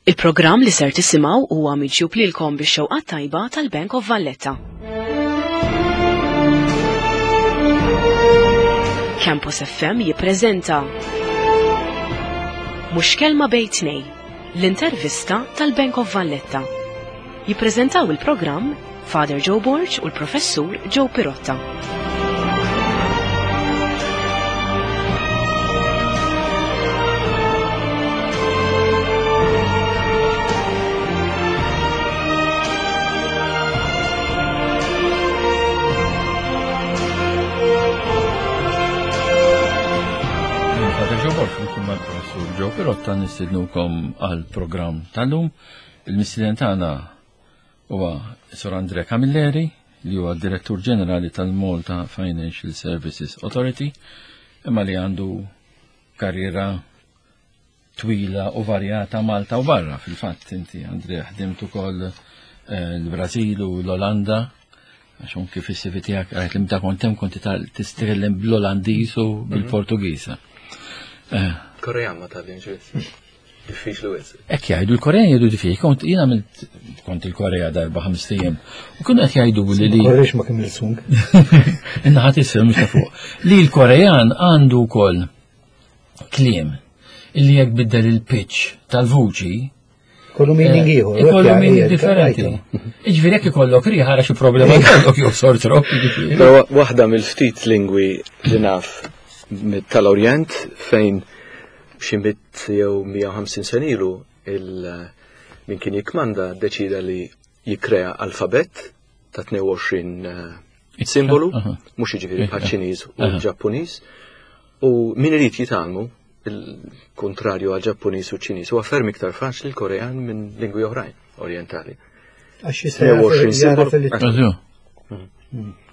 Il-programm li ser tisimgħu huwa miġjub lilkom bix-xewqa tajba tal-Bank of Valletta. Campus FM jippreżenta Mhux kelma bejn tnej, l-intervista tal-Bank of Valletta. Jippreżentaw il-programm Father Joe Borg u l-Professur Joe Pirotta. Father Joe Borg, mal-Professur Joe Pirotta nistidnukom għal-programm tal-lum. Il-mistieden tagħna huwa Sur Andre Camilleri, li huwa Direttur Ġenerali tal-Malta Financial Services Authority, imma li għandu karriera twila u varjata Malta u barra. Fil-fatt inti Andre ħdimt ukoll eh, l-Brażil u l-Olanda, għax anki fis-CV tiegħek għajt li meta kont hemm konti titkellem bl-Olandiż u mhm. bil-Portugiż. Eh. Korean ma tgħallimx. Diffiċli wisq. Hekk jgħidu l-Korean jgħidu diffiċli. Kont jien għamilt kont il-Korea darba ħames ijiem. U kienu qed jgħidu li li. Korrex ma kemm il-sung. Inna ħadd isir mhux ta' fuq. Li l-Korean għandu wkoll kliem illi jekk biddel il-pitch tal-vuċi Kollu meaning eh, ieħor. Kollu meaning differenti. Iġifieri jekk ikollok riħa xi problema jkollok jew sort rock. Però waħda mill-ftit lingwi li naf tal-Orjent fejn xi jew 150 sena ilu il min kien jikkmanda ddeċida li jikkrea alfabett ta' 22 eh, simbolu, mhux jiġifieri bħal Ċiniż u Ġappuniż, u min irid jitgħallmu il-kontrarju għal Ġappuniż u Ċiniż huwa ferm iktar faċli l-Korean minn lingwi oħrajn orjentali. Għax jista' 22 simbolu.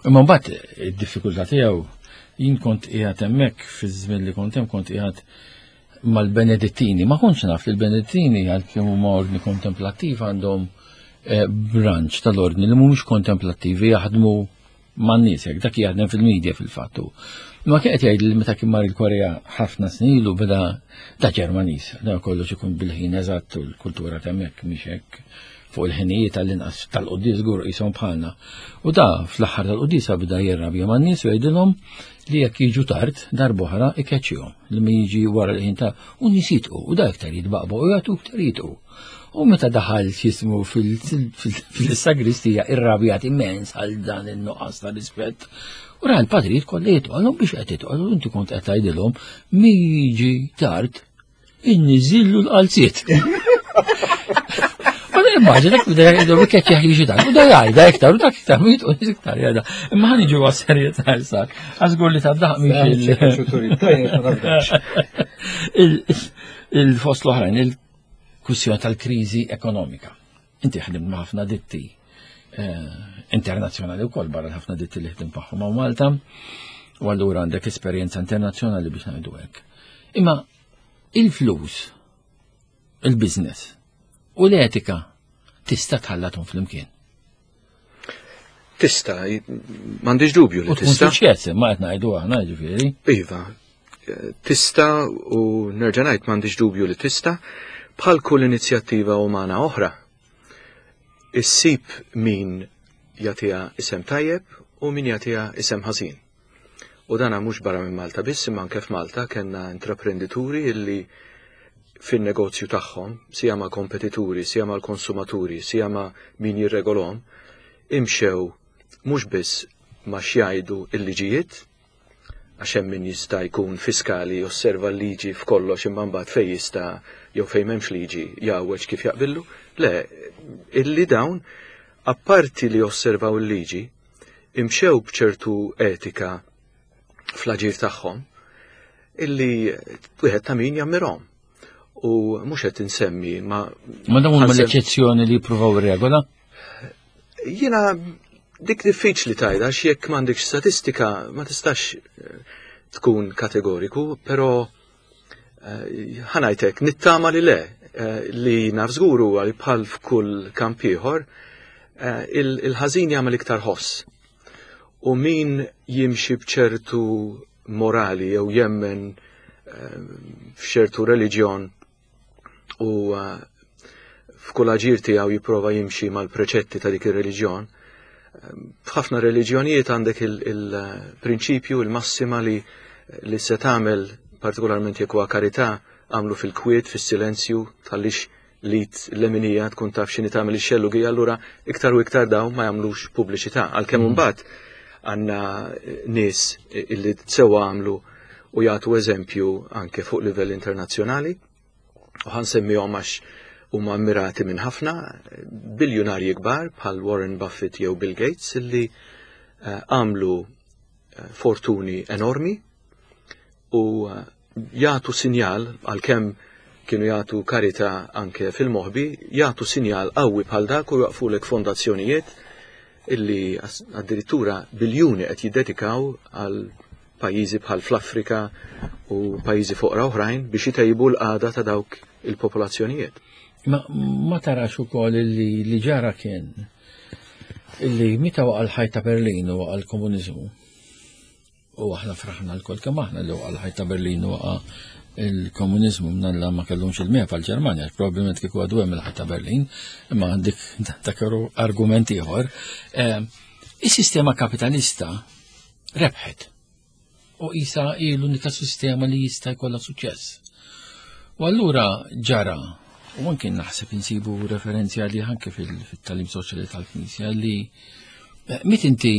Imma mbagħad id-diffikultà tiegħu jien kont qiegħed hemmhekk fiż-żmien li kont hemm kont qiegħed mal-Benedittini. Ma kontx naf li l-Benedittini għalkemm huma ordni kontemplattiv għandhom eh, branch tal-ordni li mhumiex kontemplattivi jaħdmu man-nies hekk dak jaħdem fil-medja fil-fattu. Ma kien qed jgħid li meta kien mar il-Korea ħafna snin ilu beda da Ġermaniż, da kollox ikun bil-ħin eżatt u l-kultura t'hemmhekk mhix hekk fuq il-ħinijiet għall-inqas tal-quddies żgur qishom bħalna. U da fl-aħħar tal-quddiesa beda jirrabja man-nies u jgħidilhom li jekk jiġu tard darb'oħra ikeċċihom li ma jiġi wara l-ħin ta' u nies jitqu u da iktar jitbaqbaq u jagħtu iktar jitqu. U meta daħal x'jismu fil-sagristija irrabjat immens għal dan in-nuqqas ta' rispett. U ra l-patrijiet kollha jitqolhom biex qed jitqolu inti kont qed tgħidilhom mi jiġi tard inniżillu l-qalziet. U immaġina bda jgħidu bikket jaħi xi dan. U da jgħidha iktar u dak iktar u jitqu iktar jgħidha. Imma ħan iġu għas-serjetà issa. Għażgur li tad-daħq mhix il-fost l-oħrajn, il-kwistjoni tal-kriżi ekonomika. Inti ħdimt ma' ħafna ditti eh, internazzjonali wkoll barra ħafna ditti li ħdim magħhom hawn Malta, u allura għandek esperjenza internazzjonali biex ngħidu hekk. Imma il-flus, il-business u l-etika tista' tħallathom flimkien. Tista, m'għandix dubju li tista. Suċċess, ma qed ngħidu aħna ġifieri. Iva, tista u nerġa' ngħid m'għandix dubju li tista' bħal kull inizjattiva umana oħra. Issib min jagħtiha isem tajjeb u min jagħtiha isem ħażin. U dana mhux barra minn Malta biss, imma anke f'Malta kellna intraprendituri illi fin-negozju tagħhom, sija ma' kompetituri, sija mal-konsumaturi, sija ma' min jirregolhom, imxew mhux biss ma' x'jgħidu l-liġijiet, għax hemm min jista' jkun fiskali josserva l-liġi f'kollox imma mbagħad fejn jista' jew fejn m'hemmx liġi jgħawweġ kif jaqbillu. Le, illi dawn apparti li josservaw il-liġi, imxew b'ċertu etika fl-aġir tagħhom illi wieħed ta' min jammirhom. U mhux qed insemmi ma Ma dawn huma l-eċċezzjoni li jippruvaw ir-regola? Jiena dik diffiċli tajda għax jekk m'għandekx statistika ma tistax eh, tkun kategoriku, però eh, ħanajtek nittama li le eh, li naf żgur huwa li bħal f'kull kamp ieħor il-ħażin jagħmel iktar ħoss. U min jimxi b'ċertu morali jew jemmen f'ċertu reliġjon u eh, f'kull aġir tiegħu jipprova jimxi mal-preċetti ta' dik ir-reliġjon. F'ħafna reliġjonijiet għandek il-prinċipju, il-massima li li se tagħmel partikolarment jekk huwa karità għamlu fil-kwiet, fis-silenzju, tħallix li l-leminija tkun taf x'inhi tagħmel ix-xellugi, allura iktar u iktar dawn ma jagħmlux pubbliċità. Għalkemm imbagħad għandna nies illi sewwa għamlu u jagħtu eżempju anke fuq livell internazzjonali. U ħansemmihom għax huma ammirati minn ħafna biljunarji kbar bħal Warren Buffett jew Bill Gates illi eh, għamlu eh, fortuni enormi u eh, jagħtu sinjal għalkemm kienu jagħtu karità anke fil-moħbi, jagħtu sinjal qawwi bħal dak u jwaqfulek fondazzjonijiet illi addirittura biljuni qed jiddedikaw għal pajjiżi bħal fl-Afrika u pajjiżi foqra oħrajn biex itejbu l-qagħda ta' dawk il-popolazzjonijiet. Ma, ma tarax ukoll li li ġara kien illi meta waqa' l-ħajt ta' Berlin u waqa' l-komuniżmu. U aħna fraħna l-kol kemm aħna li waqa' l-ħajt ta' Berlin u waqa' il-komuniżmu mnalla ma kellhomx il-mefa l-Ġermanja, probabbilment kieku għadu hemm il-ħajt ta' Berlin, imma dik dak argument ieħor. Eh, is-sistema kapitalista rebħet. U isa hi l-unika sistema li jista' jkollha suċċess. U allura ġara, u anke naħseb insibu referenzi għalih anke fil-talim soċjali tal-Knisja li eh, mit inti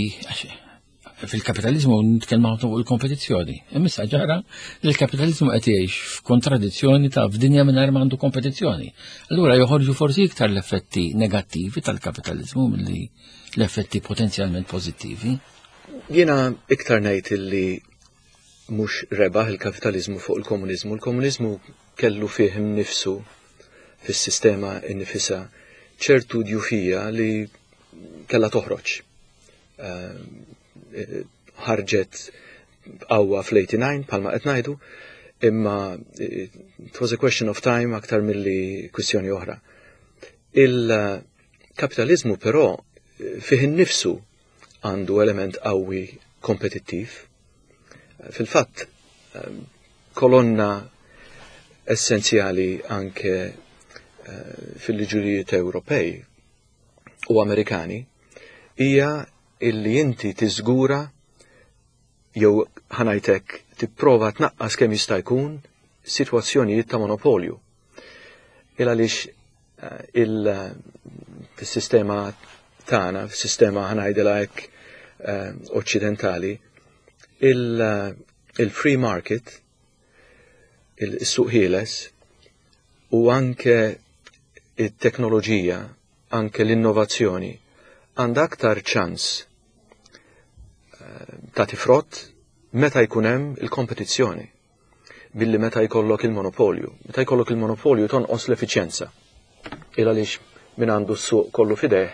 fil-kapitalizmu nitkellmu ħafna fuq il-kompetizzjoni. Imma ġara li l-kapitalizmu qed jgħix f'kontradizzjoni ta' f'dinja mingħajr ma għandu kompetizzjoni. Allura joħorġu forsi iktar l-effetti negattivi tal-kapitalizmu milli l-effetti potenzjalment pożittivi. Jiena iktar ngħid illi mhux rebaħ il-kapitaliżmu fuq il-komuniżmu. Il-komuniżmu kellu fih innifsu fis-sistema innifisha ċertu djufija li kellha toħroġ. Eh, ħarġet qawwa fl-89 bħalma qed ngħidu, imma eh, it was a question of time aktar milli kwistjoni oħra. Il-kapitaliżmu però eh, fih innifsu għandu element qawwi kompetittiv. Fil-fatt, kolonna essenzjali anke fil-liġurijiet Ewropej u Amerikani hija illi inti tiżgura jew ħanajtek tipprova tnaqqas kemm jista' jkun sitwazzjonijiet ta' monopolju. Il għaliex eh, il-sistema tagħna, sistema ħanajdilha hekk eh, oċċidentali, il-free market, il-suq ħieles u anke it-teknoloġija, anke l-innovazzjoni għandha aktar ċans eh, tagħti frott meta jkun hemm il-kompetizzjoni billi meta jkollok il-monopolju. Meta jkollok il-monopolju tonqos l-effiċjenza. Il għaliex min għandu s-suq kollu fideh,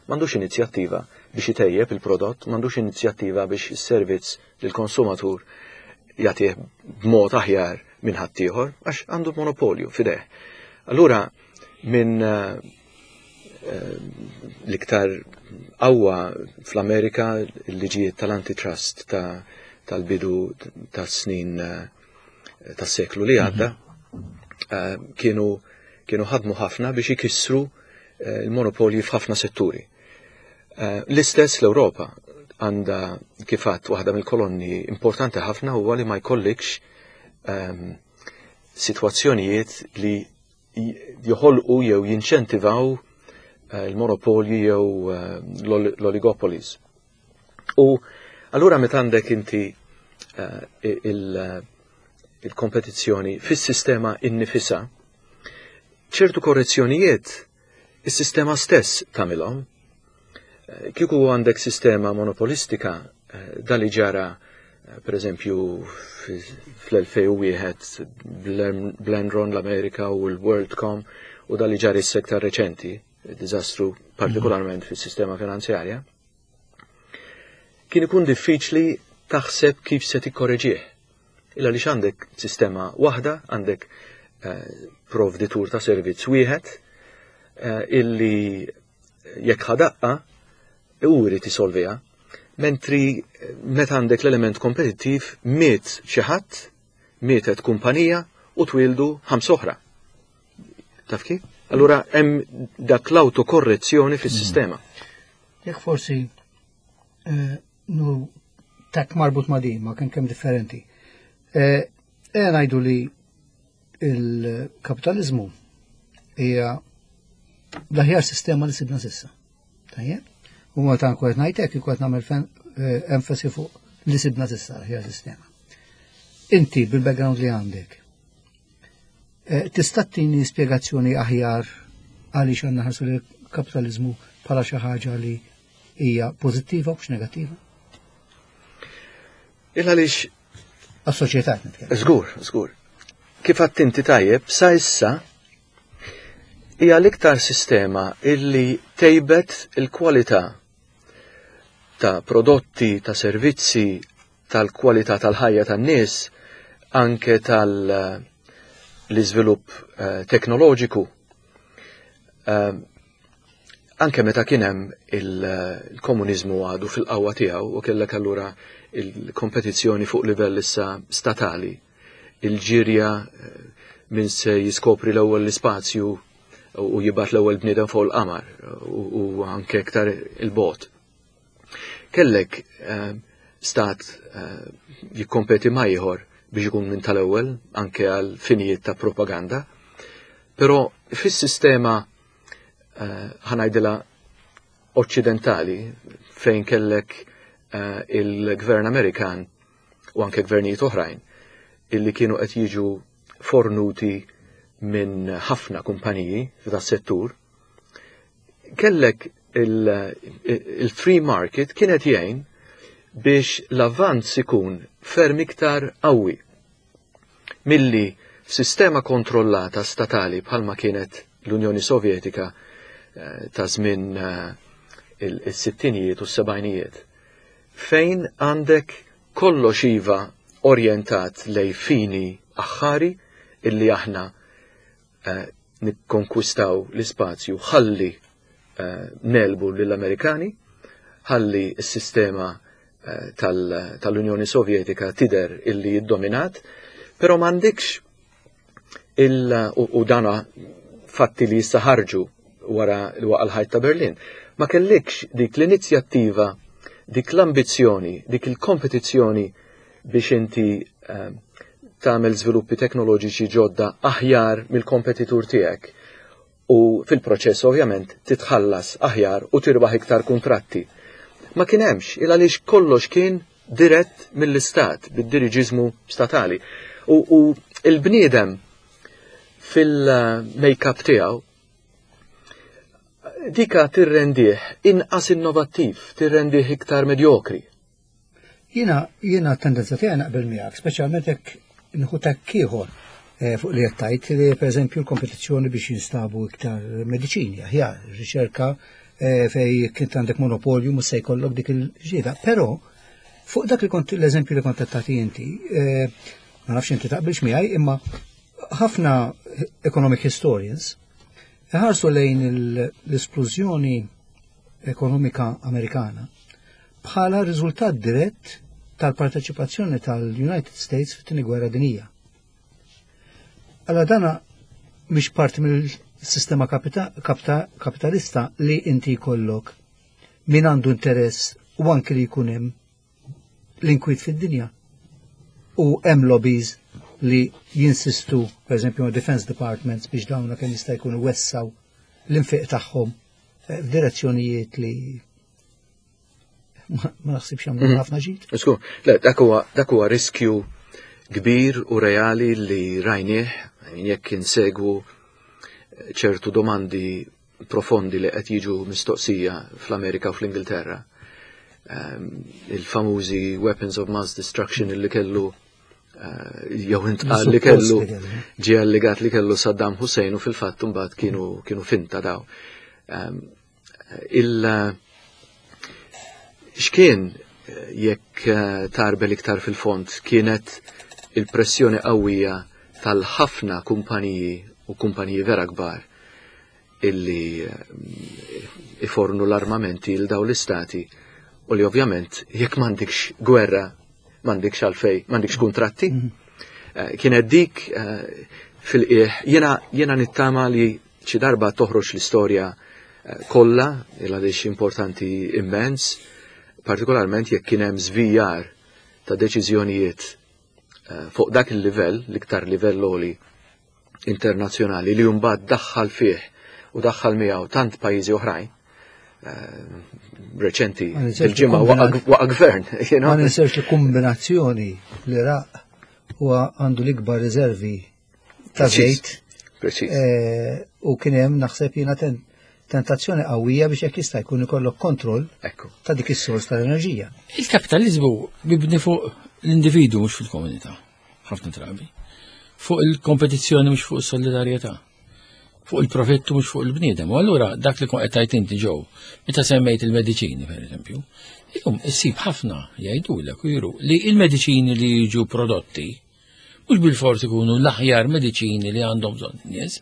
m'għandux inizjattiva biex itejjeb il-prodott, m'għandux inizjattiva biex is-servizz lill-konsumatur jagħtih b'mod aħjar minn ħaddieħor għax għandu monopolju fideh. Allura minn eh, eh, l-iktar qawwa fl-Amerika l-liġijiet tal-antitrust tal-bidu tas-snin eh, tas-seklu li għadda mhm. kienu kienu ħadmu ħafna biex ikissru l-monopolji f'ħafna setturi. L-istess l-Ewropa għandha kifat waħda mill-kolonni importanti ħafna huwa li ma jkollikx ehm, sitwazzjonijiet li joħolqu jew jinċentivaw eh, il-monopolji jew eh, l-oligopolies. U allura meta għandek inti eh, il-kompetizzjoni fis-sistema innifisa, ċertu korrezzjonijiet is-sistema stess tagħmilhom. Kieku għandek sistema monopolistika, eh, dali ġara eh, per eżempju fl-2001 bl-Enron l-Amerika u l-WorldCom u dali ġara is-sektar reċenti, diżastru partikolarment mm. fis-sistema finanzjarja, kien ikun diffiċli taħseb kif se tikkoreġih. Illa li għandek sistema waħda, għandek eh, provditur ta' servizz wieħed illi jekk ħadaqqa u jrid isolviha. Mentri meta għandek l-element kompetittiv miet xi ħadd, mietet kumpanija u twildu ħams oħra. Taf kif? Allura hemm dak l-autokorrezzjoni fis-sistema. Jekk forsi eh, nu tak marbut ma' din, ma kien kemm differenti. Eh, eh ngħidu li il-kapitalizmu hija l-aħjar sistema li sibna sissa. Tajjeb? U meta nkun qed ngħid hekk ikun qed nagħmel eh, enfasi fuq li sibna sissa l-aħjar sistema. Inti bil-background li għandek, eh, tista' tini spjegazzjoni aħjar għaliex għandna ħarsu li kapitalizmu bħala xi ħaġa li hija pożittiva u mhux negattiva? Il għaliex Għas-soċjetà qed nitkellem. Żgur, żgur. Kif għadt inti tajjeb, sa issa hija l-iktar sistema illi tejbet il-kwalità ta' prodotti, ta' servizzi, tal-kwalità tal-ħajja tan-nies, anke tal-iżvilupp eh, teknoloġiku. Eh, anke meta kien hemm il-komuniżmu għadu fil-qawwa tiegħu u kellek allura il-kompetizzjoni fuq livell issa statali, il-ġirja eh, min se jiskopri l-ewwel l-ispazju u jibgħat l-ewwel bniedem fuq il-qamar u anke iktar il-bot. Kellek eh, stat eh, jikkompeti ma' ieħor biex ikun minn tal-ewwel anke għal finijiet ta' propaganda, però fis-sistema eh, ħanajdilha oċċidentali fejn kellek il-gvern Amerikan u anke gvernijiet oħrajn illi kienu qed jiġu fornuti minn ħafna kumpaniji f'da settur, kellek il-free market kienet jgħin biex l-avvanz ikun ferm iktar qawwi milli f'sistema kontrollata statali bħalma kienet l-Unjoni Sovjetika eh, ta' żmien eh, il-sittinijiet u s-sebgħinijiet fejn għandek kollox iva orjentat lej fini aħħari illi aħna eh, nikkonkwistaw l-ispazju ħalli eh, nelbu lill-Amerikani, ħalli s-sistema eh, tal-Unjoni Sovjetika tider illi jiddominat, però m'għandikx il u dana fatti li jissa ħarġu wara l-waqa l-ħajt ta' Berlin, ma kellikx dik l-inizjattiva, dik l-ambizzjoni, dik il-kompetizzjoni biex inti eh, tagħmel żviluppi teknoloġiċi ġodda aħjar mill-kompetitur tiegħek u fil-proċess ovvjament titħallas aħjar u tirbaħ iktar kuntratti. Ma kien hemmx il għaliex kollox kien dirett mill-istat, bid-diriġiżmu statali. U, u il-bniedem fil-make-up tiegħu dika tirrendih inqas innovattiv, tirrendih iktar medjokri. Jiena jiena tendenza tiegħi naqbel miegħek, speċjalment jekk nħu takk ieħor eh, fuq li qed tgħid li pereżempju l-kompetizzjoni biex jinstabu iktar mediċini aħjar, riċerka eh, fej kint għandek monopolju mhux se jkollok dik il-ġieda. Però fuq dak li kont l-eżempju li kont qed tagħti inti, eh, ma nafx inti taqbilx miegħi, imma ħafna economic historians iħarsu lejn l-esplużjoni ekonomika Amerikana bħala riżultat dirett tal-parteċipazzjoni tal-United States fit-tieni gwerra dinija. Alla dana mhix parti mill-sistema kapitalista li inti jkollok min għandu interess u anki li jkun hemm l-inkwiet fid-dinja. U hemm lobbies li jinsistu, per eżempju, Defense Departments biex dawna kemm jista' jkunu wessaw l-infiq tagħhom eh, f'direzzjonijiet li ma naħsibx jagħmlu mhm. ħafna ġid. Isku, le, dak huwa riskju kbir u reali li rajnieh jekk insegwu ċertu domandi profondi li qed jiġu mistoqsija fl-Amerika u fl-Ingilterra. Ehm, il-famużi weapons of mass destruction li kellu eh, jew intqal li kellu ġie allegat li kellu Saddam Hussein u fil-fatt imbagħad kienu kienu finta daw. Ehm, il x'kien jekk eh, tarbel iktar fil-fond kienet il-pressjoni qawwija tal-ħafna kumpaniji u kumpaniji vera kbar illi eh, ifornu l-armamenti l daw l-istati u li ovvjament jekk m'għandikx gwerra m'għandikx għalfej, m'għandikx kuntratti. Mhm. Eh, kienet dik fil-qieħ jiena jiena nittama li Xi darba toħroġ l-istorja eh, kollha il għaliex importanti immens, partikolarment jekk kien hemm żvijar ta' deċiżjonijiet eh, fuq dak il-livell, l-iktar livell għoli internazzjonali li mbagħad daħħal fih u daħħal miegħu tant pajjiżi oħrajn eh, reċenti il-ġimgħa waqa' gvern. Ma ninsewx li kombinazzjoni l-Iraq huwa għandu l-ikbar riservi ta' żejt. Eh, u kien hemm naħseb jiena tentazzjoni qawwija biex jekk jista' jkun ikollok kontroll ta' dik is-sors tal-enerġija. Il-kapitaliżmu mibni fuq l-individu mhux fil-komunità, ħafna drabi. Fuq il-kompetizzjoni mhux fuq is-solidarjetà. Fuq il-profittu mhux fuq il-bniedem. U allura dak li kont qed tgħid inti ġew, meta semmejt il-mediċini pereżempju, illum issib ħafna jgħidulek u juru li il-mediċini li jiġu prodotti Mhux bilfors ikunu l-aħjar mediċini li għandhom bżonn in-nies,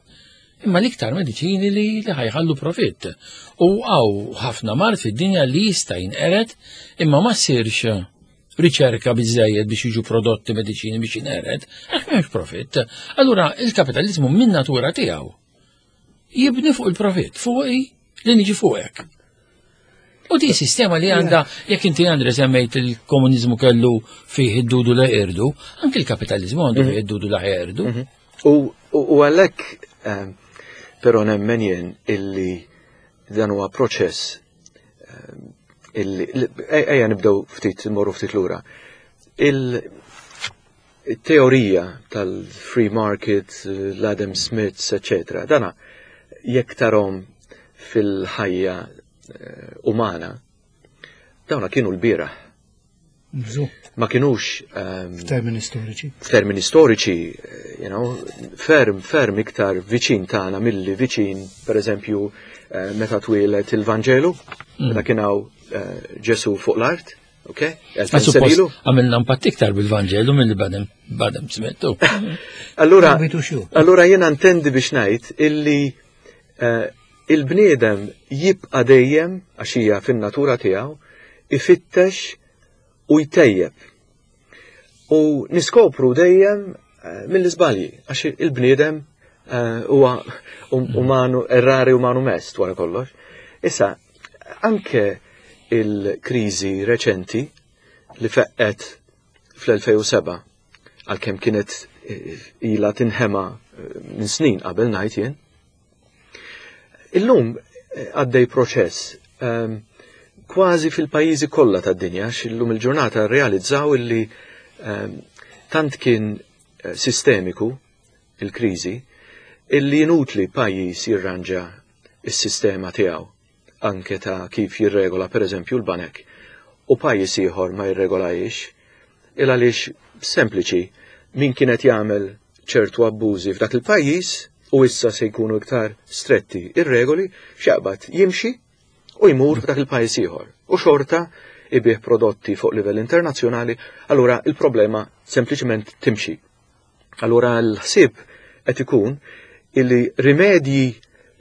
imma l-iktar mediċini li li ħajħallu profitt. U għaw ħafna mard fid-dinja li jista' jinqered imma ma ssirx riċerka biżejjed biex jiġu prodotti mediċini biex jinqered, għax m'hemmx profitt. Allura il-kapitalizmu min natura tiegħu jibni fuq il-profitt, fuq li niġi fuqek. U di sistema li għanda, jekk inti Andre semmejt il-komunizmu kellu fih id-dudu la irdu, anki il-kapitalizmu għandu fih id-dudu la irdu. Mhm. U għalhekk ehm, però nemmen jien illi dan huwa proċess ehm, illi ejja nibdew ftit morru ftit lura. Il-teorija tal-free market, l-Adam Smith, etc. Dana jekk tarhom fil-ħajja eh, umana, dawna kienu l-bieraħ. Ma kienux ehm, f'termini storiċi. F'termini storiċi, eh, you know, ferm, ferm iktar viċin tagħna milli viċin, per eżempju, eh, meta twieled il-Vanġelu, meta kien hawn Ġesu fuq l-art, ok? Għamilna impatt iktar bil-Vanġelu milli badem badem smettu. Allura, allura jiena ntendi biex ngħid illi eh, il-bniedem jibqa' dejjem għax hija fin-natura tiegħu ifittex u jtejjeb. U niskopru dejjem eh, mill-iżbalji għax il-bniedem eh, huwa um, umanu errari umanu mest wara kollox. Issa, anke il-kriżi reċenti li feqqet fl-2007 għalkemm kienet eh, ila tinħema eh, minn snin qabel ngħid jien. Illum eh, għaddej proċess ehm, kważi fil-pajjiżi kollha tad-dinja x'illum il-ġurnata realizzaw illi ehm, tant kien sistemiku il-kriżi illi inutli pajjiż jirranġa is-sistema tiegħu anke ta' kif jirregola pereżempju l-banek u pajjiż ieħor ma jirregolajiex, il għaliex sempliċi min kien qed jagħmel ċertu abbużi f'dak il-pajjiż u issa se jkunu iktar stretti ir-regoli x'jaqbad jimxi u jmur f'dak il-pajjiż ieħor. U xorta ibih prodotti fuq livell internazzjonali, allura il-problema sempliċement timxi. Allura l-ħsieb qed ikun illi rimedji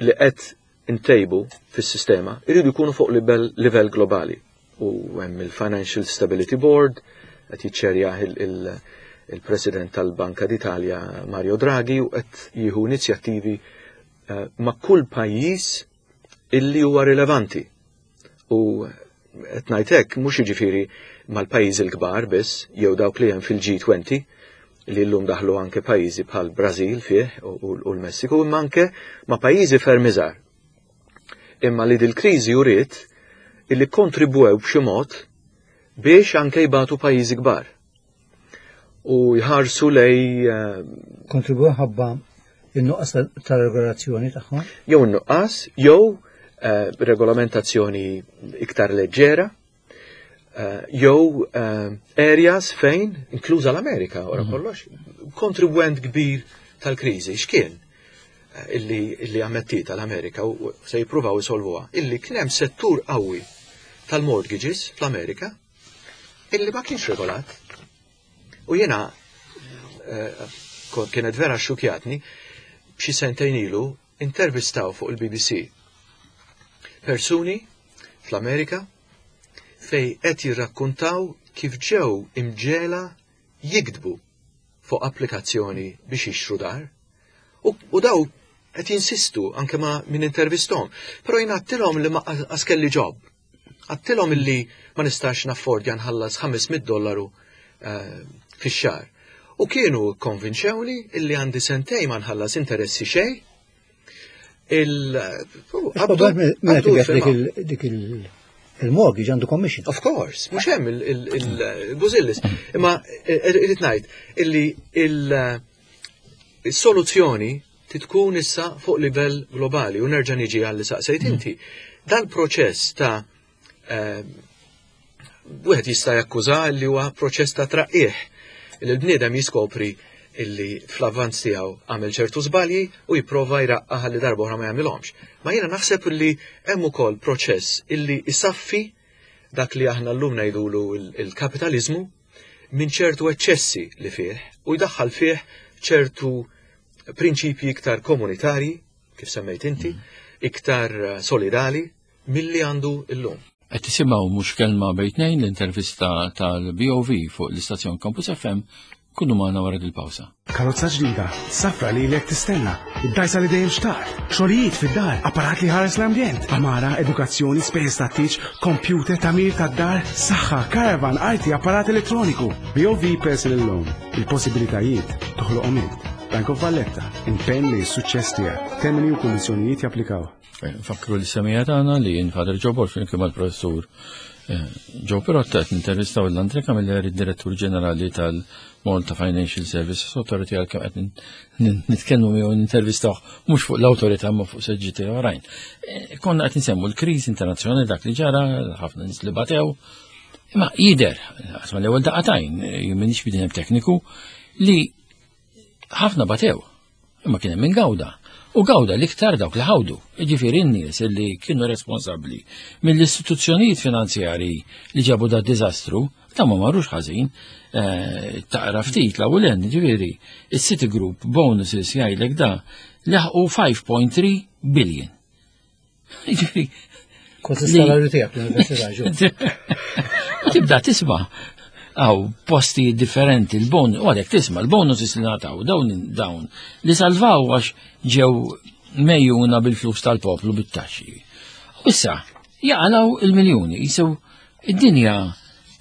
li qed intejbu fis-sistema jridu jkunu fuq livell globali. U hemm il-Financial Stability Board qed jiċċerja il-President tal-Banka d'Italja Mario Draghi u qed jieħu inizjattivi eh, ma' kull pajjiż illi huwa rilevanti. U qed ngħid hekk mhux jiġifieri mal-pajjiżi l-kbar biss jew dawk li hemm fil-G20 li llum daħlu anke pajjiżi bħal Brażil fih u l-Messiku imma anke ma' pajjiżi ferm iżgħar. Imma li dil-kriżi uriet illi kontribwew b'xi mod biex anke jbatu pajjiżi kbar. U jħarsu lej eh, Kontribwew ħabba in-nuqqas ta' regolazzjoni tagħhom? Jew in-nuqqas, jew eh, regolamentazzjoni iktar leġġera, eh, jew areas fejn, inkluża l-Amerika, wara mhm. kollox, kontribwent kbir tal-kriżi, x'kien illi, illi ammettiet l-Amerika u se jippruvaw isolvuha, illi kien hemm settur qawwi tal-mortgages fl-Amerika illi ma kienx regolat. U jiena eh, kienet vera xukjatni b'xi sentejn ilu intervistaw fuq il-BBC persuni fl-Amerika fej qed jirrakkuntaw kif ġew imġela jikdbu fuq applikazzjoni biex jixtru dar. U, u daw Qed jinsistu anke ma' min intervistom. Però jien għattilhom li ma qas kelli job. Għattilhom illi ma nistax naffordja nħallas 500 dollaru eh, fix-xahar. U kienu konvinċewni illi għandi sentej ma nħallas interessi xejn. Il dik il-mortgage għandu commission. Of course, mhux hemm il-bużillis. Imma eh, irrid ngħid illi il-soluzzjoni titkun issa fuq livell globali u nerġa' niġi għal li saqsejt inti. Dal-proċess ta' eh, wieħed jista' jakkuża li huwa proċess ta' traqqieħ li l-bniedem jiskopri illi fl-avvanz tiegħu għamel ċertu żbalji u jipprova jraqqa ħalli darba oħra ma jagħmilhomx. Ma jiena naħseb illi hemm ukoll proċess illi isaffi dak li aħna llum ngħidulu il-kapitaliżmu minn ċertu eċċessi li fih u jdaħħal fih ċertu prinċipji iktar komunitarji, kif semmejt inti, iktar eh, solidali milli għandu illum. Qed tisimgħu mhux kelma bejn tnejn l-intervista tal-BOV fuq l-istazzjon Campus FM kunu magħna wara dil-pawsa. Karozza ġdida, safra li lek tistenna, id-dajsa li dejjem xtaqt, xogħlijiet fid-dar, apparat li ħares l-ambjent, amara, edukazzjoni, spejjeż tat-tieġ, computer, tagħmir tad-dar, saħħa, caravan, arti, apparat elettroniku. BOV Personal Loan, il-possibilitajiet toħloqhom int. Bank of Valletta, impenn li s-suċċess tiegħek. Termini u kundizzjonijiet japplikaw. Eh, nfakru li semija tagħna li jien Father Joe Borg flimkien mal-professur eh, Joe Pirotta qed nintervistaw l-Andre Camilleri, direttur ġenerali tal-Malta Financial Services Authority għalkemm qed nitkellmu miegħu nintervistaw mhux fuq l-awtorità ma fuq seġġiti oħrajn. Eh, konna qed nsemmu l-kriżi internazzjonali dak li ġara, ħafna nies li batew. Imma jidher, għasma l-ewwel daqatajn, jien m'iniex bidem tekniku, li ħafna batew, imma kien hemm min gawda. U gawda l-iktar dawk li ħawdu, jiġifieri n-nies li kienu responsabbli mill-istituzzjonijiet finanzjarji li ġabu da diżastru, ta' ma marrux ħażin, eh, taqra ftit l ewwel ġifieri, is-Citigroup bonuses jgħidlek da laħqu 5.3 billion. Jiġifieri. Kont is-salarju tiegħek l-università ġo. Tibda tisma' għaw posti differenti l-bon, u għalek tisma l-bonus li nataw dawn dawn li salvaw għax ġew mejjuna bil-flus tal-poplu bit-taxxi. U issa jaqalaw il-miljuni, jisew id-dinja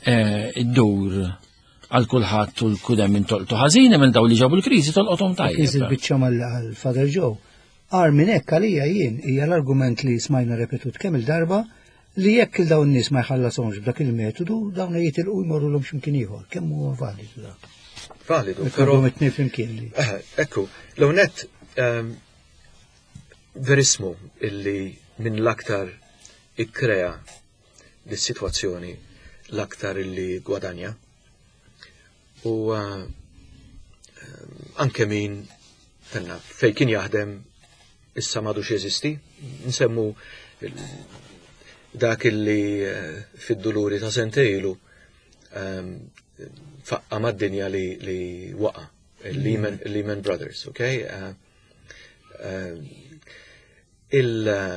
eh, id-dur għal kulħadd u l-kudem minn tolqtu ħażin minn daw li ġabu l-kriżi tolqothom tajjeb. Kriżi l-biċċa mal-Father Joe. Agħar minn hekk għalija jien hija l-argument li smajna repetut kemm il-darba li jekk il dawn nies ma jħallashomx b'dak il-metodu dawn jitilqu jmorrulhom x'imkien ieħor. Kemm huwa validu dak? Validu, però it-tnejn flimkien li. Eh, ekku, l net ehm, verismu illi minn l-aktar ikkrea dis-sitwazzjoni l-aktar illi gwadanja. U eh, anke min tenna fej kien jaħdem issa m'għadux jeżisti, nsemmu dak illi eh, fid-duluri ta' sentejlu ehm, faqqa mad-dinja li, li waqa, Lehman, Lehman Brothers, ok? Eh, il-top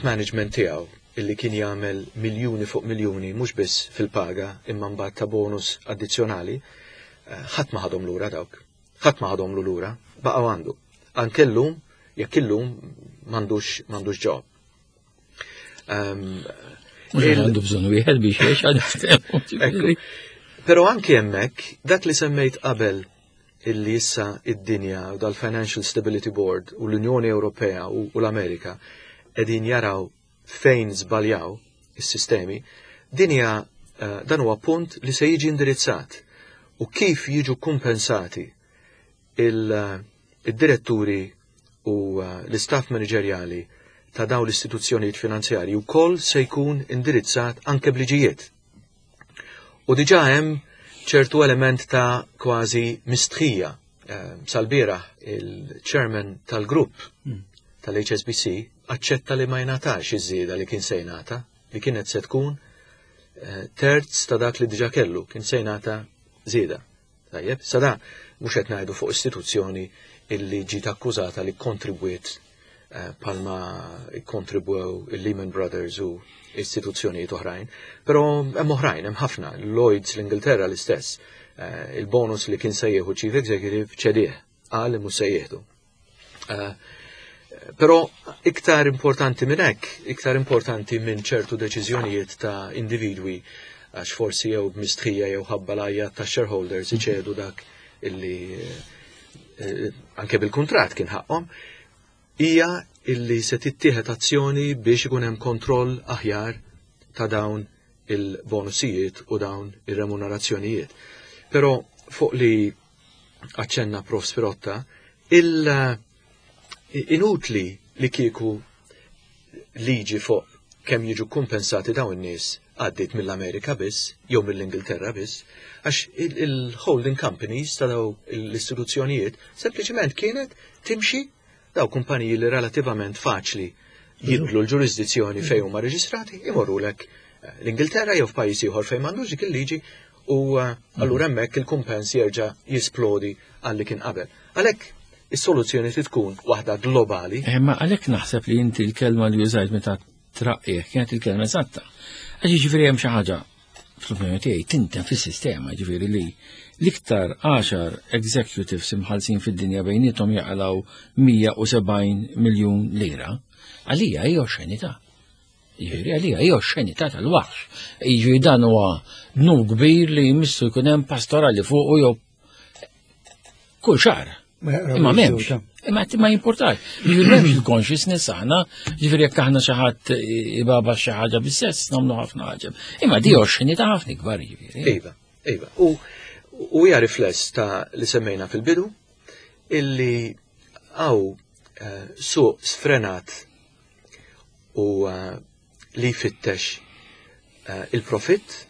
management tiegħu illi kien jagħmel miljuni fuq miljuni mhux biss fil-paga imma mbagħad ta' bonus addizzjonali, eh, ħadd ma ħadhom lura dawk. Ħadd ma ħadhom lura, baqgħu għandu. Anke llum, jekk illum m'għandux m'għandux job. Ehm, għandu bżonn wieħed biex jgħix għad Però anke hemmhekk dak li semmejt qabel illi issa id-dinja u dal-Financial Stability Board u l-Unjoni Ewropea u l-Amerika qegħdin jaraw fejn żbaljaw is-sistemi, din hija eh, dan huwa punt li se jiġi indirizzat u kif jiġu kumpensati eh, il-diretturi u eh, l-istaff manageriali ta' dawn l-istituzzjonijiet finanzjarji wkoll se jkun indirizzat anke bliġijiet. U diġà hemm ċertu element ta' kważi mistħija. Eh, sal-bieraħ il-chairman tal-grupp hmm. tal-HSBC aċċetta li ma jingħatax iż-żieda li kien se jingħata, li kienet se tkun eh, terz ta' dak li diġà kellu, kien se jingħata żieda. Tajjeb, sa da mhux qed ngħidu fuq istituzzjoni illi ġiet akkużata li kontribwiet eh, palma kontribwew il-Lehman Brothers u istituzzjonijiet oħrajn, però hemm oħrajn, hemm ħafna, Lloyds l-Ingilterra l-istess, eh, il-bonus li kien se jieħu Chief Executive ċedih, qal li mhux se jieħdu. Eh, però iktar importanti minn hekk, iktar importanti minn ċertu deċiżjonijiet ta' individwi għax forsi jew b'mistħija jew ħabba l ta' shareholders iċedu dak illi eh, anke bil-kuntratt kien ħaqhom, hija illi se tittieħed azzjoni biex ikun hemm kontroll aħjar ta' dawn il-bonusijiet u dawn ir-remunerazzjonijiet. Però fuq li aċċenna Prof. Spirotta, il-inutli li kieku liġi fuq kemm jiġu kompensati dawn in-nies għaddiet mill-Amerika biss jew mill-Ingilterra biss, għax il-holding companies ta' daw l-istituzzjonijiet sempliċement kienet timxi daw kumpaniji li relativament faċli jibdlu l-ġurisdizzjoni fejn huma reġistrati imorrulek eh, l-Ingilterra jew f'pajjiż ieħor fejn m'għandux dik il-liġi u eh, allura hemmhekk il-kumpens jerġa' jisplodi għal li kien qabel. Għalhekk is-soluzzjoni trid tkun waħda globali. Eh, ma għalhekk naħseb li inti l-kelma li użajt meta traqqih kienet il-kelma eżatta. Għax jiġifieri hemm xi ħaġa fl-opinjoni tiegħi tinten fis-sistema ġifieri li l-iktar 10 executives imħallsin fid-dinja bejniethom jaqalgħu 170 miljun lira, għalija hija oxxenità. Jiġifieri għalija hija oxxenità tal-waħx. Jiġifieri dan huwa dnub kbir li jmissu jkun hemm pastorali fuqu jew kull xahar. Imma m'hemmx. Imma ma jimportax. Jiġifieri m'hemmx il-consciousness aħna, jiġifieri jekk aħna xi ħadd ibaba xi ħaġa bis-sess nagħmlu ħafna ħaġa. Imma di oxxenità ħafna ikbar jiġifieri. Iva, iva. U u hija rifless ta' li semmejna fil-bidu illi għaw eh, suq sfrenat u eh, li jfittex eh, il-profitt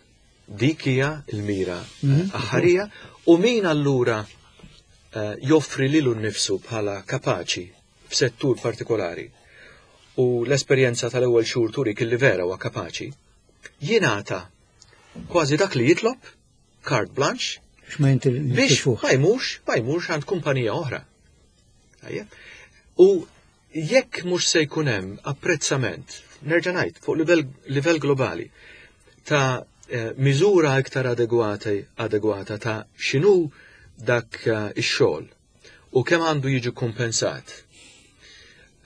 Dik hija l-mira mhm. aħħarija u min allura eh, joffri lilu nnifsu bħala kapaċi f'settur partikolari u l-esperjenza tal-ewwel xhur turik illi vera huwa kapaċi, jingħata kważi dak li jitlob, carte blanche, biex ma jmurx, ma jmurx għand kumpanija oħra. U Jekk mhux se jkun hemm apprezzament, nerġa' ngħid, fuq livell, livell globali, ta' eh, miżura iktar adegwata, adegwata ta' x'inhu dak eh, ix-xogħol u kemm għandu jiġi kompensat.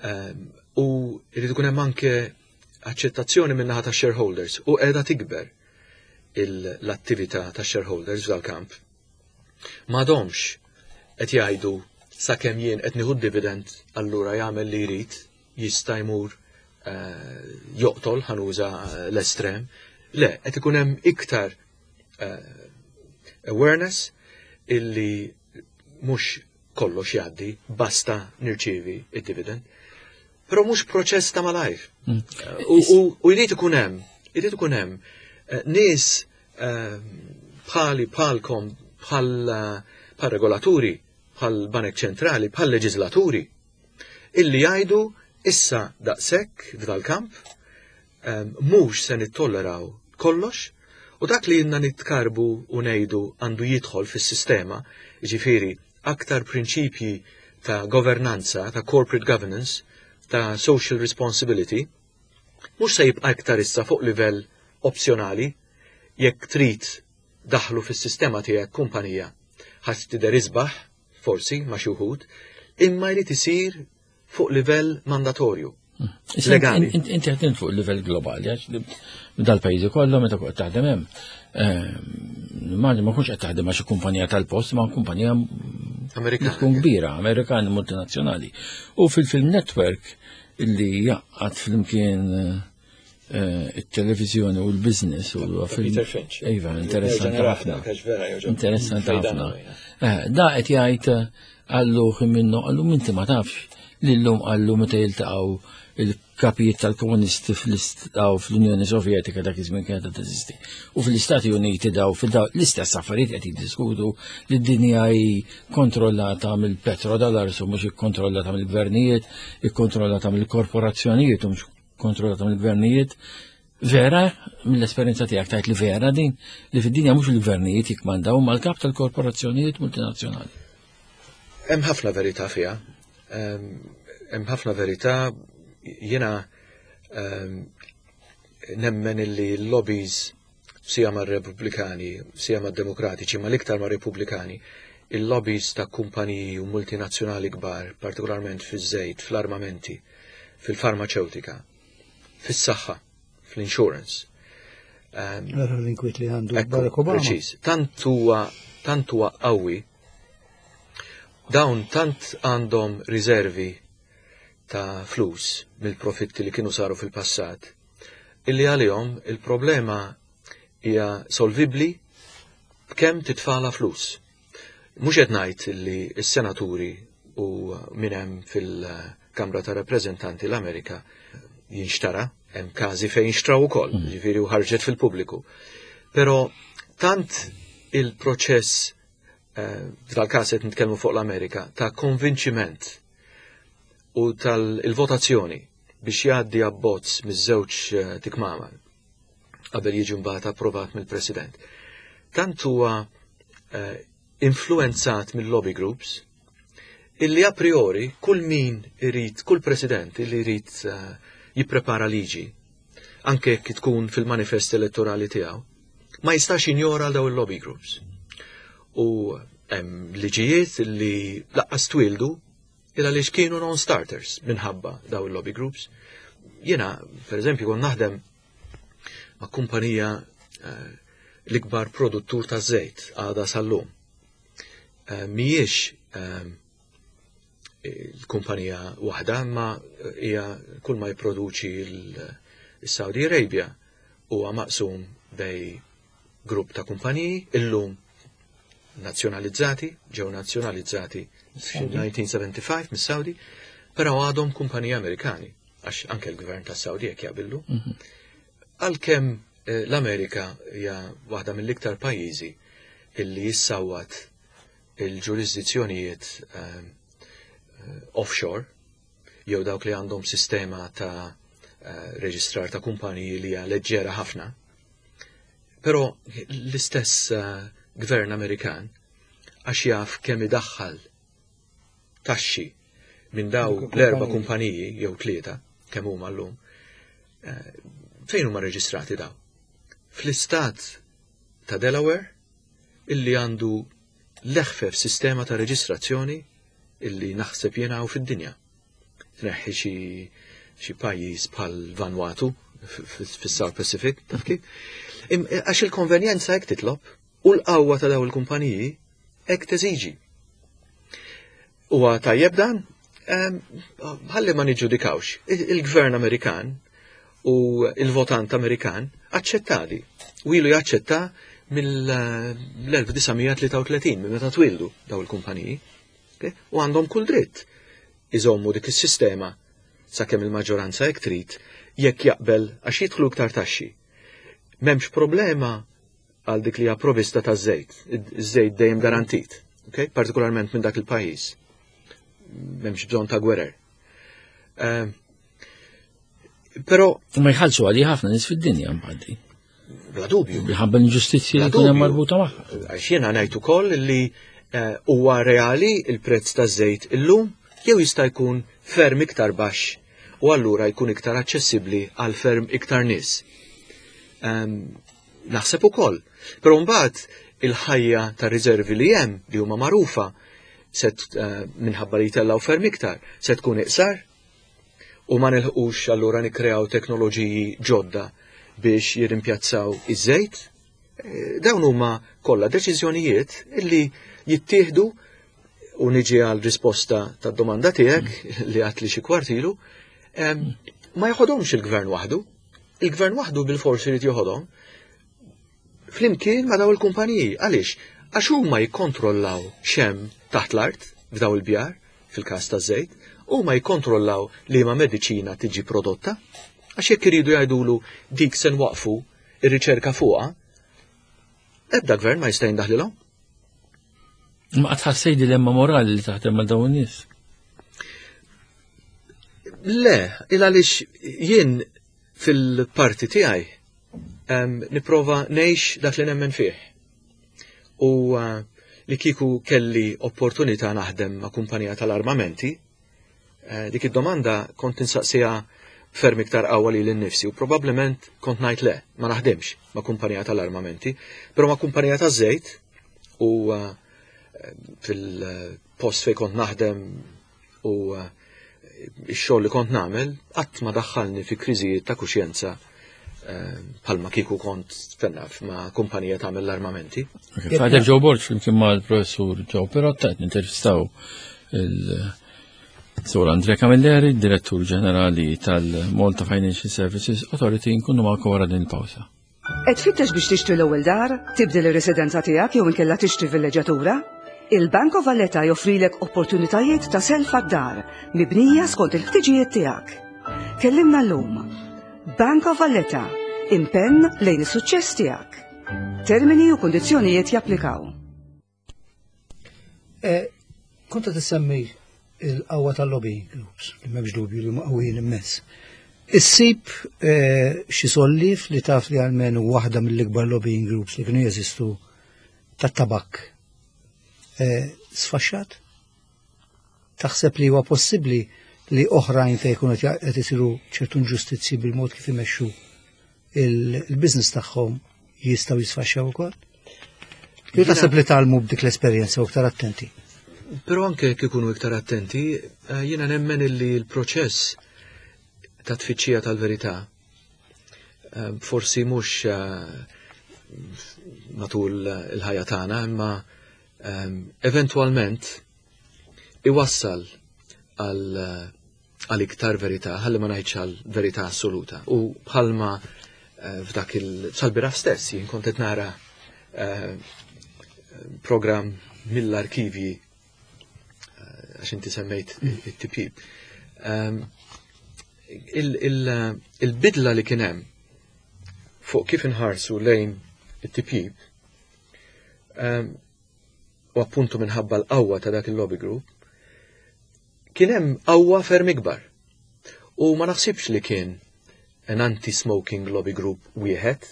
Ehm, u jrid ikun hemm anke aċċettazzjoni min-naħa ta' shareholders u qiegħda tikber l-attività ta' shareholders f'dal-kamp. M'għadhomx qed jgħidu sakemm jien qed nieħu dividend allura jagħmel li jrid jista' jmur eh, joqtol ħanuża eh, l-estrem. Le, qed ikun hemm iktar eh, awareness illi mhux kollox jgħaddi basta nirċievi id-dividend. Però mhux proċess ta' malajr. Mm. U jrid ikun hemm, jrid ikun hemm nies bħali bħalkom bħal bħal regolaturi, bħal banek ċentrali, bħal leġislaturi, illi jgħidu issa daqshekk f'dal-kamp mhux se nittolleraw kollox u dak li jinna nitkarbu u ngħidu għandu jidħol fis-sistema, jiġifieri aktar prinċipji ta' governanza, ta' corporate governance, ta' social responsibility, mhux se jibqa' iktar issa fuq livell opzjonali jekk trid daħlu fis-sistema tiegħek kumpanija ħadd tidher isbaħ forsi ma' xi wħud, imma jrid isir fuq livell mandatorju. Hmm. Legali. Inti ħdimt fuq livell globali, għax dal-pajjiżi kollha meta kont taħdem hemm. Ehm, ma ma kunx qed taħdem ma' xi kumpanija tal-post, ma' kumpanija Amerikana. Tkun kbira, Amerikana multinazzjonali. U fil-film network illi jaqgħad flimkien eh, it-televizjoni u l-business u Peter Finch. Iva, interessanti ħafna. Interessanti ħafna. Eh, da qed jgħid eh, għallu minnu għallu minti ma tafx li llum għallu meta jiltaqgħu il-kapijiet tal-komunisti fl-istaw fl-Unjoni Sovjetika dak iż-żmien kienet teżisti. U fl-Istati Uniti daw fil-daw l-istess affarijiet qed jiddiskutu li d-dinja hi kontrollata mill-petrodollars u mhux ikkontrollata mill-gvernijiet, ikkontrollata mill-korporazzjonijiet u mhux kontrollata mill-gvernijiet. Vera, mill-esperjenza tiegħek tajt li vera din li fid-dinja mhux il-gvernijiet jikmandaw ma l-kap tal-korporazzjonijiet multinazzjonali. Hemm ħafna verità fiha. Hemm ħafna verità jiena nemmen illi l-lobbies sija mar-Repubblikani, sija mad-Demokratiċi, ma l-iktar mar-Repubblikani, Il-lobbies ta' kumpaniji u multinazzjonali kbar, partikolarment fiż-żejt, fl-armamenti, fil-farmaċewtika, fis-saħħa, fl-insurance. Ara l-inkwiet li għandu Barack Obama. Preċiż. Tant huwa tant huwa qawwi dawn tant għandhom riservi ta' flus mill-profitti li kienu saru fil-passat illi għalihom il-problema hija solvibbli b'kemm titfala flus. Mhux qed ngħid li s-senaturi u min hemm fil-Kamra ta' Rappreżentanti l-Amerika jinxtara, hemm każi fejn xtraw ukoll, ġifieri u ħarġet fil-pubbliku. Però tant il-proċess eh, f'dal-każ qed nitkellmu fuq l-Amerika ta' konvinċiment u tal-votazzjoni biex jgħaddi abbozz miż-żewġ eh, tikmama qabel jiġi mbagħad approvat mill-President. Tant huwa eh, influenzat mill-lobby groups illi a priori kull min irid, kull president illi jrid eh, jipprepara liġi, anke jekk tkun fil-manifest elettorali tiegħu, ma jistax jinjora daw il-lobby groups. U hemm liġijiet li laqqas twildu il għaliex kienu non-starters minħabba daw il-lobby groups. Jiena, per eżempju, kon naħdem ma' kumpanija eh, l-ikbar produttur ta' żejt għada sal-lum. Eh, mhijiex eh, l-kumpanija waħda, ma hija kull ma jipproduċi l-Saudi Arabia huwa maqsum bej grupp ta' kumpaniji illum nazzjonalizzati, ġew nazzjonalizzati fil-1975 mis-Saudi, però għadhom kumpaniji Amerikani, għax anke l-gvern tas Saudi jekk jaqbillu. Mhm. Għalkemm eh, l-Amerika hija waħda mill-iktar pajjiżi illi jissawwat il-ġurisdizzjonijiet eh, eh, offshore jew dawk li għandhom sistema ta' reġistrar ta' kumpaniji li hija leġġera ħafna. Però l-istess gvern Amerikan għax jaf kemm idaħħal taxxi minn daw l-erba' kumpaniji jew tlieta kemm huma llum, eh, fejn huma reġistrati daw? Fl-istat ta' Delaware illi għandu l-eħfef sistema ta' reġistrazzjoni illi naħseb jiena hawn fid-dinja. Tneħħi xi xi pajjiż bħal Vanuatu fis-South Pacific, taf kif? Għax il-konvenjenza hekk titlob u l-qawwa ta' daw il-kumpaniji hekk teżiġi. Huwa tajjeb dan? Ħalli ma niġġudikawx. Il-gvern Amerikan u il-votant Amerikan aċċettali. U ilu jaċċetta mill-1933, minn meta twildu daw il-kumpaniji. U għandhom kull dritt iżommu dik is-sistema sakemm il-maġġoranza hekk trid jekk jaqbel għax jidħlu iktar taxxi. M'hemmx problema għal dik li hija provista ta' żejt, iż-żejt dejjem garantit, okay? partikolarment minn dak il-pajjiż. M'hemmx bżonn ta' gwerer. Uh, però ma jħallsu għalli ħafna nies fid-dinja mbagħad. Bla dubju. Minħabba l-inġustizzji li jkun hemm marbuta magħha. Għax jiena ngħid ukoll li eh, huwa reali il-prezz taż-żejt illum jew jista' jkun ferm iktar baxx u allura jkun iktar aċċessibbli għal ferm iktar nies. Ehm, naħseb ukoll. Però mbagħad il-ħajja ta' riservi li hemm li huma magħrufa se eh, minħabba li jtellgħu ferm iktar, se tkun iqsar u ma nilħqux allura nikkreaw teknoloġiji ġodda biex jirrimpjazzaw iż-żejt. Eh, dawn huma kollha deċiżjonijiet illi jittieħdu u niġi għal risposta tad domanda tiegħek li għat li xi kwartilu, ma joħodhomx il-gvern waħdu. Il-gvern waħdu bil-forsi li joħodhom flimkien ma' daw il-kumpaniji. Għaliex? Għax huma jikkontrollaw xem taħt l-art f'daw il-bjar, fil-każ ta' żejt, huma jikkontrollaw li ma mediċina tiġi prodotta, għax jekk iridu jgħidulu dik se nwaqfu ir-riċerka fuqha, ebda gvern ma jista' jindaħlilhom. Ma qatt ħassej dilemma morali li taħdem ma' dawn nies. Le, il għaliex jien fil-parti tiegħi nipprova ngħix dak li nemmen fih. U eh, li kieku kelli opportunità naħdem ma' kumpanija tal-armamenti, eh, dik id-domanda kont insaqsiha ferm iktar qawwa li l-nifsi u probabbilment kont ngħid le, ma naħdimx ma' kumpanija tal-armamenti, però ma' kumpanija taż-żejt u eh, fil-post fejn kont naħdem u eh, x-xogħol li kont nagħmel qatt ma daħħalni fi kriżijiet ta' kuxjenza eh, bħalma kieku kont fennaf ma' kumpanija tagħmel l-armamenti. Father Joe Borg flimkien mal-professur Joe Perotta qed nintervistaw il-Sur Andrea Camilleri, Direttur Ġenerali tal-Malta Financial Services Authority, nkunu magħkom wara din il-pawsa. Qed tfittex biex tixtri l-ewwel dar, tibdel ir-residenza tiegħek jew inkella tixtri villeġġatura? Il-Bank of Valletta joffrilek opportunitajiet ta' self għad-dar mibnija skont il-ħtiġijiet tiegħek. Kellimna llum. Bank of Valletta, impenn lejn is-suċċess tiegħek. Termini u kundizzjonijiet japplikaw. Eh, kont qed issemmi il-qawwa tal-lobbying groups, li m'hemmx dubju li huma qawwijin immens. Issib eh, xi sollif li taf li għalmenu waħda mill-ikbar lobbying groups li kienu jeżistu tat-tabak. Eh, sfaxxat? Taħseb li huwa possibbli li oħrajn fejn jkunu qed isiru ċertu inġustizzji bil-mod kif imexxu il-business tagħhom jistgħu jisfaxxaw ukoll? Li taħseb li talmu b'dik l-esperjenza u iktar attenti? Però anke jekk ikunu iktar attenti, eh, jiena nemmen illi l-proċess ta' tfittxija tal-verità eh, forsi mhux eh, matul il-ħajja tagħna, imma eventwalment iwassal għal għal iktar verità, ħalli ma ngħidx għal verità assoluta. U bħalma eh, f'dak il-salbiraf stess, jien kont qed nara eh, program mill-arkivji eh, għax inti semmejt it-tipjib. Ehm, il-bidla li kien hemm fuq kif inħarsu lejn it-tipjib ehm, u appuntu minħabba l-qawwa ta' dak il-lobby group, kien hemm qawwa ferm ikbar. U ma naħsibx li kien an anti-smoking lobby group wieħed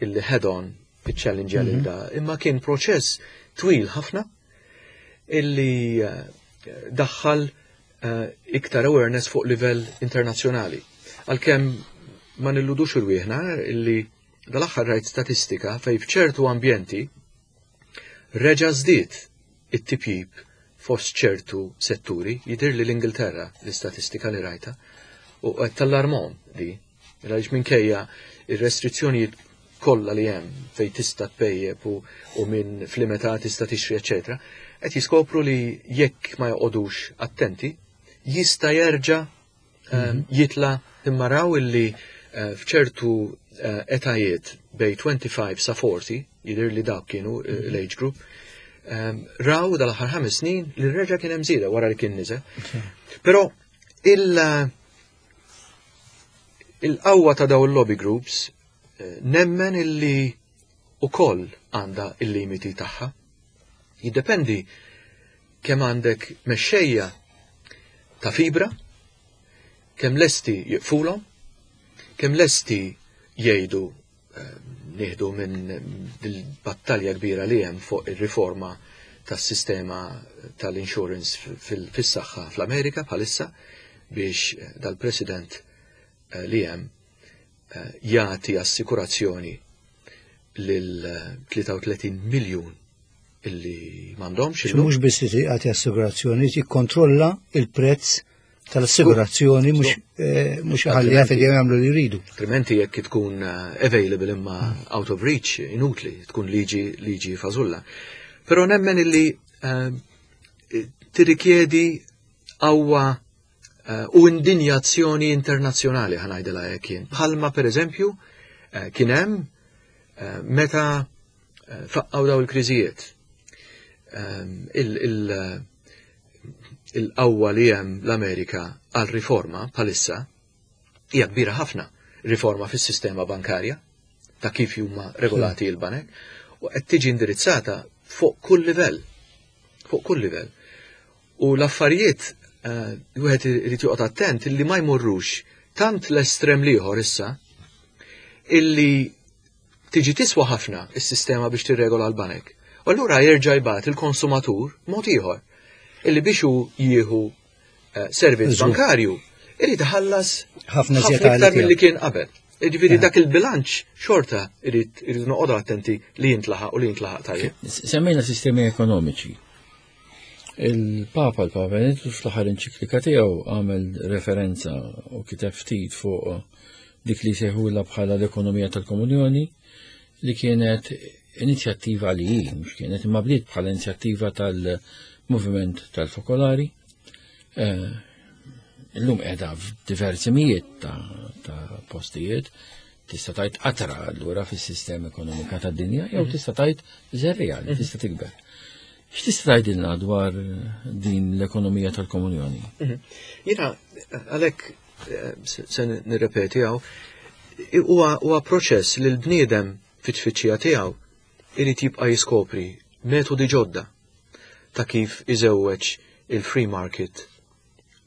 illi head on iċ-challenge mm -hmm. da, imma kien proċess twil ħafna illi eh, daħħal eh, iktar awareness fuq livell internazzjonali. Għalkemm ma nilludux irwieħna illi dal-aħħar rajt statistika fej f'ċertu ambjenti Reġa' żdied it-tipjip fost ċertu setturi, jidhirli l-Ingilterra l-istatistika li rajtha, u qed tallarmhom di, għaliex minkejja ir-restrizzjonijiet kollha li hemm fejn tista' tpejjep u, u minn fl-imetà tista' tixtri eċetera, qed jiskopru li jekk ma joqogħdux attenti jista' jerġa' mhm. jitla imma raw illi eh, f'ċertu eh, etajiet bej 25 sa 40, jidher li dak kienu eh, mhm. l-age group, ehm, raw dal-aħħar ħames snin li reġa' kien hemm żieda wara li kien niżel. Però il- il-qawwa ta' daw il-lobby groups nemmen illi ukoll għandha il-limiti tagħha. Jiddependi kemm għandek mexxejja ta' fibra, kemm lesti jiqfulhom, kemm lesti jgħidu eh, nieħdu minn il-battalja kbira li hemm fuq ir-riforma tas-sistema tal-insurance fis-saħħa fl-Amerika bħalissa biex eh, dal-president eh, li hemm jagħti assikurazzjoni lil 33 miljun illi m'għandhomx. Mhux biss li jagħti assigurazzjoni, jikkontrolla il-prezz tal-assigurazzjoni mhux eh, mhux ħalli jaf li jagħmlu li jridu. Altrimenti jekk tkun eh, available imma out of reach, inutli, tkun liġi liġi fażulla. Però nemmen illi eh, tirrikjedi qawwa Eh, u indinjazzjoni internazzjonali ħanajdilha hekk jien. Bħalma pereżempju eh, kien hemm eh, meta faqqaw daw il-kriżijiet. Il-qawwa li hemm l-Amerika għal riforma bħalissa hija kbira ħafna riforma fis-sistema bankarja ta' kif huma regolati il-banek u qed tiġi indirizzata fuq kull livell. Fuq kull livell. U l-affarijiet eh, wieħed irid joqgħod attent illi ma jmorrux tant l-estrem l-ieħor issa illi tiġi tiswa ħafna is-sistema biex tirregola l-banek. U allura jerġa' jbagħat il-konsumatur mod ieħor illi biex hu jieħu eh, servizz bankarju irid iħallas ħafna iktar milli kien qabel. Ġifieri dak il-bilanċ xorta irid irid noqogħdu attenti li jintlaħaq u li jintlaħaq tajjeb. Semmejna sistemi ekonomiċi. Il-Papa, l-Papa Benedittu fl-aħħar enċiklika tiegħu għamel referenza u kiteb ftit fuq dik li sejħula bħala l-ekonomija tal-komunjoni li kienet inizjattiva li hi, mhux kienet imma bdiet bħala inizjattiva tal-moviment tal-fokolari. Eh, illum qiegħda f'diversi mijiet ta', ta postijiet tista' tgħid qatra allura fis-sistema ekonomika tad-dinja jew mhm. tista' tgħid żerriegħa li mhm. tista' tikber. X'tista' tgħidilna dwar din l-ekonomija tal-komunjoni? Mhm. Jiena għalhekk eh, se nirrepeti hawn huwa proċess li l-bniedem fit-tfittxija tiegħu irid jibqa' jiskopri metodi ġodda ta' kif iżewweġ il-free market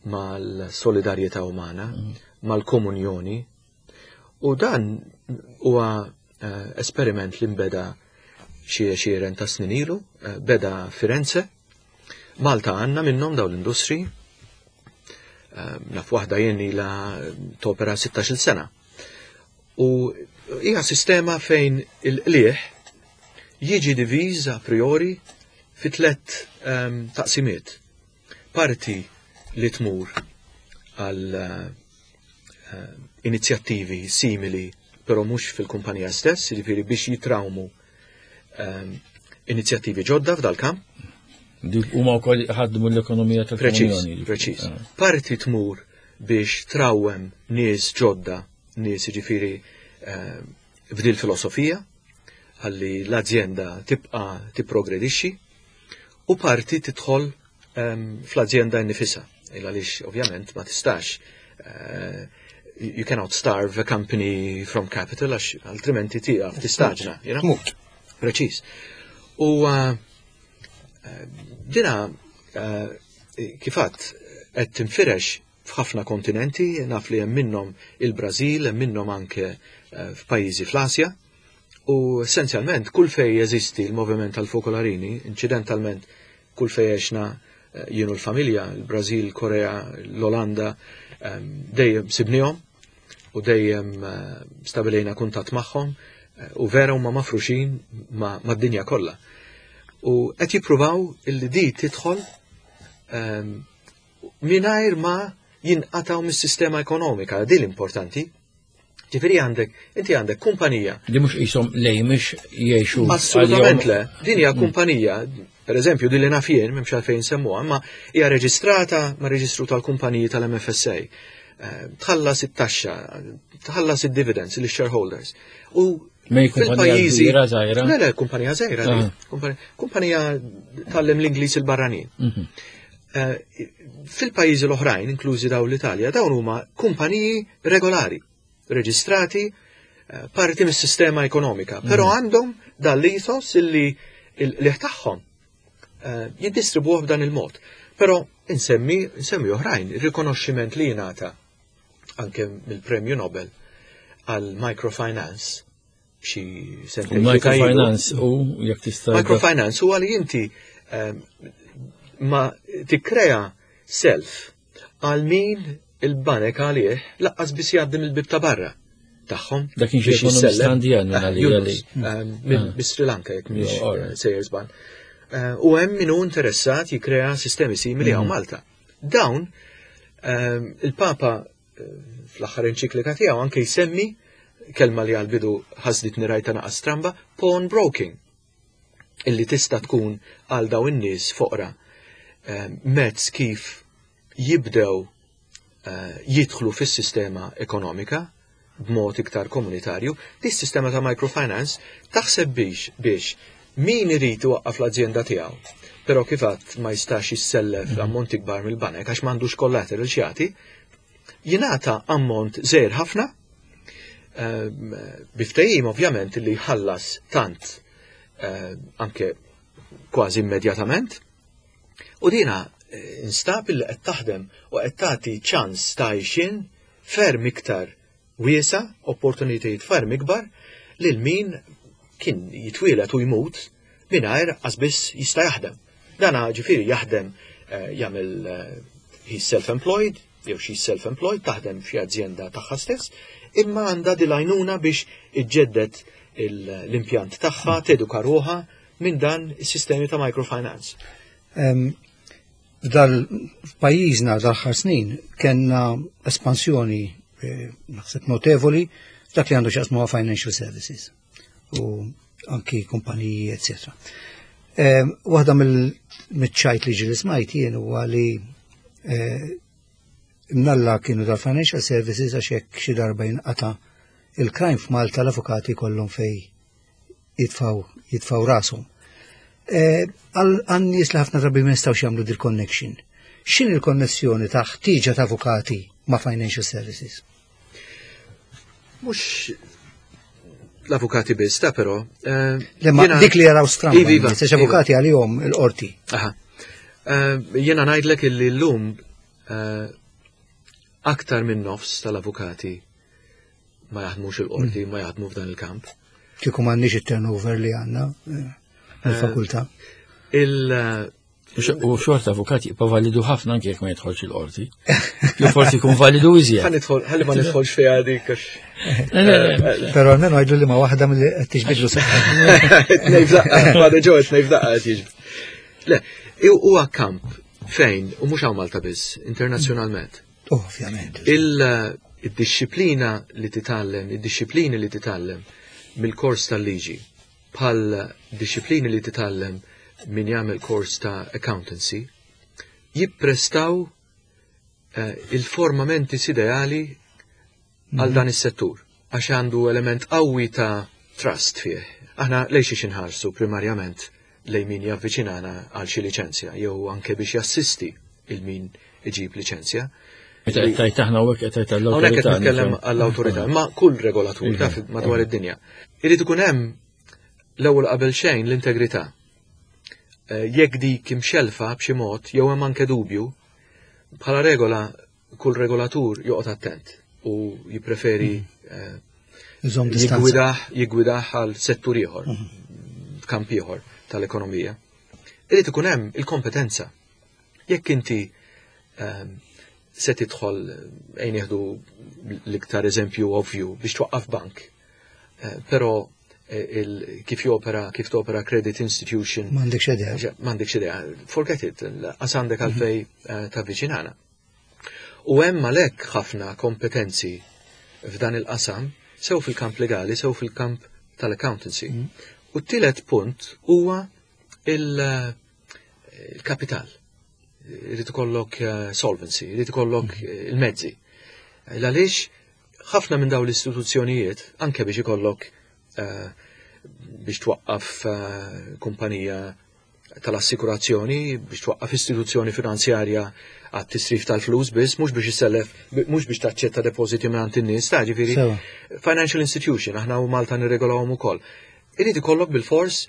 mal-solidarjetà umana, mal-komunjoni. U dan huwa eh, esperiment li nbeda xi għexieren ta' snin ilu, eh, beda Firenze. Malta għandna minnhom dawn l-industri. Eh, naf waħda jien ilha topera 16-il sena. U hija sistema fejn il-qliħ jiġi diviż a priori fi tlet ehm, taqsimiet. Parti li tmur għal eh, inizjattivi simili, però mhux fil-kumpanija stess, jiġifieri biex jitrawmu ehm, inizjattivi ġodda f'dal-kamp. Huma wkoll ħadmu l-ekonomija tal-Preċiż, preċiż. Ah. Parti tmur biex trawwem nies ġodda, nies jiġifieri ehm, f'dil filosofija, ħalli l-azjenda tibqa' tipprogredixxi u parti tidħol ehm, fl-azjenda nnifisha. Il għaliex ovvjament ma tistax eh, you cannot starve a company from capital għax altrimenti tieqaf tistaġna. You know? Preċiż. U eh, eh, dina kifat qed tinfirex f'ħafna kontinenti, naf li hemm minnhom il-Brażil, hemm minnhom anke f'pajjiżi fl-Asja. U essenzjalment kull fej jeżisti l-moviment tal-fokolarini, inċidentalment kull fej għexna eh, jien u l-familja, il-Brażil, Korea, l-Olanda, ehm, dejjem sibnihom u dejjem eh, stabilejna kuntatt magħhom eh, u vera huma mafruxin mad-dinja kollha. U qed jippruvaw illi di tidħol ehm, mingħajr ma jinqataw mis-sistema ekonomika, din l-importanti. Ġifieri għandek, inti għandek kumpanija. Di mhux qishom lejmix jgħixu. Assolutament le. Din hija mm. kumpanija, per eżempju, din li naf jien, m'hemmx għalfejn semmuha, imma hija reġistrata ma' reġistru tal-kumpaniji tal-MFSA. Eh, tħallas it-taxxa, tħallas id-dividends lix-shareholders. U fil-pajjiżi. Le, le, kumpanija żgħira. Ah. Kumpanija tallem l-Ingliż il-barranin. Mhm. Eh, fil-pajjiżi l-oħrajn, inklużi daw l-Italja, dawn huma kumpaniji regolari, reġistrati, eh, parti mis-sistema ekonomika, però mhm. għandhom dal-ethos illi l tagħhom eh, jiddistribuh b'dan il-mod. Però insemmi, insemmi oħrajn, il-rikonoxximent li jingħata anke mill-Premju Nobel għal microfinance xi sentejn. Microfinance u jekk tista' Microfinance huwa li inti ehm, ma tikkrea self għal min il-banek għalih laqqas biss jgħaddi mill-bib ta' barra tagħhom. Dak kien xi ekonomista Indjan eh, ehm, minn ah. Sri Lanka jekk mhix eh, sejjer żball. Eh, u hemm min hu interessat jikkrea sistemi simili hawn mm. Malta. Dawn ehm, il-Papa fl-aħħar enċiklika tiegħu anke jsemmi kelma li għal-bidu ħasditni rajta naqa stramba, pawn broking, illi tista' tkun għal daw in-nies foqra eh, mezz kif jibdew eh, jidħlu fis-sistema ekonomika b'mod iktar komunitarju, dis sistema ta' microfinance taħseb biex biex min irid iwaqqaf l-azjenda tiegħu, però kif għadd ma jistax jissellef mhm. ammonti kbar mill-banek għax m'għandux collateral x'jagħti, jingħata ammont żgħir ħafna ehm, biftehim ovvjament li jħallas tant ehm, anke kważi immedjatament. U dina eh, instab li qed taħdem u qed tagħti ċans ta' għixien ferm iktar wiesa, opportunitajiet ferm ikbar lil min kien jitwieled u jmut mingħajr qas biss jista' jaħdem. Dana ġifieri jaħdem eh, jagħmel eh, he's self-employed, jew xi self-employed taħdem f'xi azjenda tagħha stess, imma għandha dil-għajnuna biex iġġedded l-impjant tagħha, teduka ruħha minn dan is-sistemi ta' microfinance. F'dal f'pajjiżna dal-aħħar snin kellna espansjoni eh, naħseb notevoli f'dak li għandu x'jaqsmu ma' financial services u anki kumpaniji, etc. Eh, waħda mill-ċajt li ġili smajt jien huwa li eh, mnalla kienu dal-financial services għax jekk xi darba jinqata' il-crime f'Malta l-avukati kollhom fej jitfaw jitfaw rashom. Eh, għal nies li ħafna drabi ma jistgħux jagħmlu dil connection. X'in il-konnessjoni ta' ħtieġa ta' avukati ma' financial services? Mhux l-avukati biss, ta' però. Eh, Lemma dik li jaraw stramba, iva, iva, iva. avukati għalihom il-qorti. Aha. Eh, jiena ngħidlek illi llum aktar minn nofs tal-avukati ma jaħdmux il-qorti, mm. ma jaħdmu f'dan il-kamp. Kieku m'għandniex it-turnover li għandna eh, fil-fakultà. Il eh, U xorta avukat jibqa' validu ħafna anke jekk ma jidħolx il-qorti. Jew forsi jkun validu iżjed. Ħalli ma nidħolx fiha dik. Eh, Però almenu għidu li ma waħda mill qed tiġbidlu seħħa. Tnej f'daqqa, għadu ġew tnej f'daqqa qed jiġbid. Le, huwa kamp fejn, u mhux hawn Malta biss, internazzjonalment. Ovvjament. Il-dixxiplina li titgħallem, id-dixxiplini li titgħallem mill-kors tal-liġi, bħal dixxiplini li titgħallem min jagħmel kors ta' accountancy, jipprestaw eh, il-forma mentis ideali għal mhm. dan is-settur għax għandu element qawwi ta' trust fih. Aħna lejn xiex inħarsu primarjament lejn min javviċinana għal xi liċenzja jew anke biex jassisti il min iġib liċenzja. Meta qed tgħid aħna hawnhekk qed tgħid għall-awtorità. Hawnhekk qed nitkellem għall-awtorità, ma kull regolatur iva. taf madwar id-dinja. Irid ikun hemm l-ewwel qabel xejn l-integrità. Eh, jekk dik imxelfa b'xi mod jew hemm anke dubju, bħala regola kull regolatur joqgħod attent u jippreferi mm. eh, jigwidah jigwidah għal settur ieħor, mm. f'kamp ieħor tal-ekonomija. Irid ikun hemm il-kompetenza. Jekk inti ehm, se tidħol ejn nieħdu l-iktar eżempju ovvju biex twaqqaf bank, eh, però eh, kif jopera, kif topera credit institution. M'għandekx idea. M'għandekx idea. Forget it, qas għandek mhm. għalfej ta' viċinana. U hemm għalhekk ħafna kompetenzi f'dan il-qasam, sew fil-kamp legali, sew fil-kamp tal-accountancy. Mm. U t-tielet punt huwa il-kapital. Irid ikollok eh, solvency, irid ikollok mm. eh, il-mezzi. Għaliex ħafna minn dawn l-istituzzjonijiet, anke biex ikollok eh, biex twaqqaf kumpanija tal-assikurazzjoni biex twaqqaf istituzzjoni finanzjarja għat tisrif tal-flus biss, mhux biex isellef, mhux biex taċċetta depożiti minn in-nies, ta' ġifieri financial institution, aħna u Malta nirregolawhom ukoll. Irid ikollok bil-fors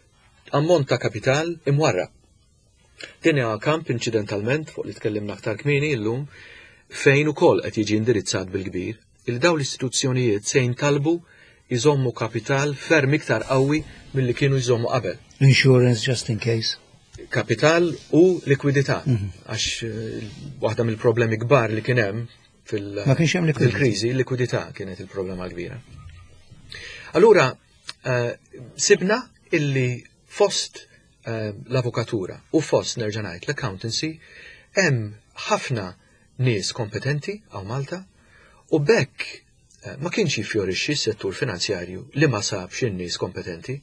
ammont ta' kapital imwarra. Din hija kamp inċidentalment fuq li tkellimna aktar kmieni llum fejn ukoll qed jiġi indirizzat bil-kbir il dawn l-istituzzjonijiet se jintalbu jżommu kapital ferm iktar qawwi milli kienu jżommu qabel. Insurance just in case. Kapital u likwidità. Mhm. Għax eh, waħda mill-problemi kbar li kien hemm fil-kriżi, likwidità kienet il-problema kbira. Allura, eh, sibna illi fost eh, l-avukatura u fost nerġa' ngħid l-accountancy hemm ħafna nies kompetenti għaw Malta u bekk eh, ma kienx jiffjorixxi s-settur finanzjarju li ma sabx in-nies kompetenti.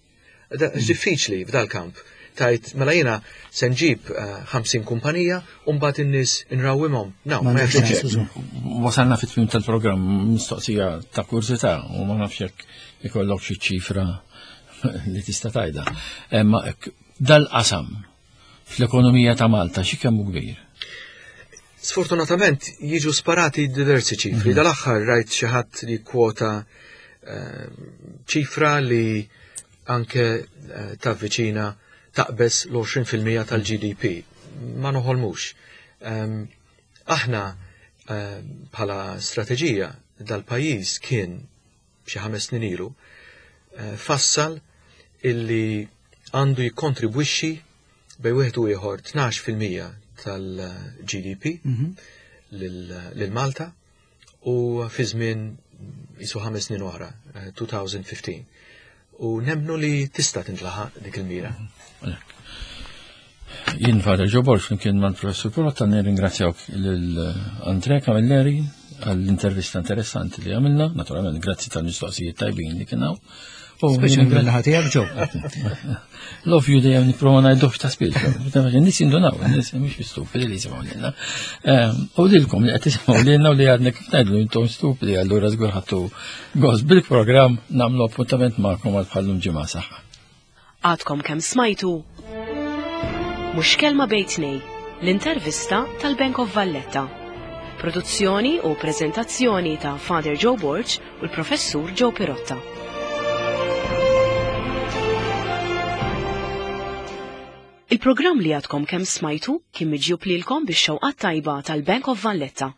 Hmm. Diffiċli f'dal-kamp tajt mela jiena se nġib 50 eh, kumpanija u mbagħad in-nies inrawwimhom. No, ma jaħdimx. Wasalna fit-tmiem tal-programm mistoqsija ta' kurżità u ma nafx jekk ikollok xi ċifra li tista' tajda. Imma dal-qasam fl-ekonomija ta' Malta xi kemm kbir? Sfortunatament jiġu sparati diversi ċifri. Mm -hmm. Dal-aħħar rajt xi ħadd li kwota eh, ċifra li anke eh, tavviċina taqbes l-20% tal-GDP. Ma noħolmux. Ehm, aħna eh, bħala strateġija dal-pajjiż kien xi ħames snin ilu, eh, fassal illi għandu jikkontribwixxi bej wieħed u ieħor 12% tal-GDP mhm. lil Malta u fi żmien jisu ħames snin oħra, 2015. Eh, u nemnu li tista' tintlaħaq dik il-mira. Mhm. Jien Father Joe Borg flimkien mal-Professur Pirotta nirringrazzjawk lil Andre Camilleri għall-intervista interessanti li għamilna, naturalment grazzi tal-mistoqsijiet tajbin li kien hawn. Speċjalment mill-naħa tiegħek Joe. Love you dejjem nipprova ngħiduh ta' spiss. Nies jindunaw, nies mhux stupidi li jisimgħu lilna. Ehm, u lilkom li qed tisimgħu lilna u li għadna kif ngħidlu intom stupidi allura żgur ħadtu gost bil-programm nagħmlu appuntament magħkom għal bħallum ġimgħa saħħa. Għadkom kemm smajtu Mhux kelma bejn tnej, l-intervista tal-Bank of Valletta. Produzzjoni u preżentazzjoni ta' Father Joe Borg u l-Professur Joe Pirotta. Il-programm li għadkom kemm smajtu kien miġjub lilkom bix-xewqat tajba tal-Bank of Valletta.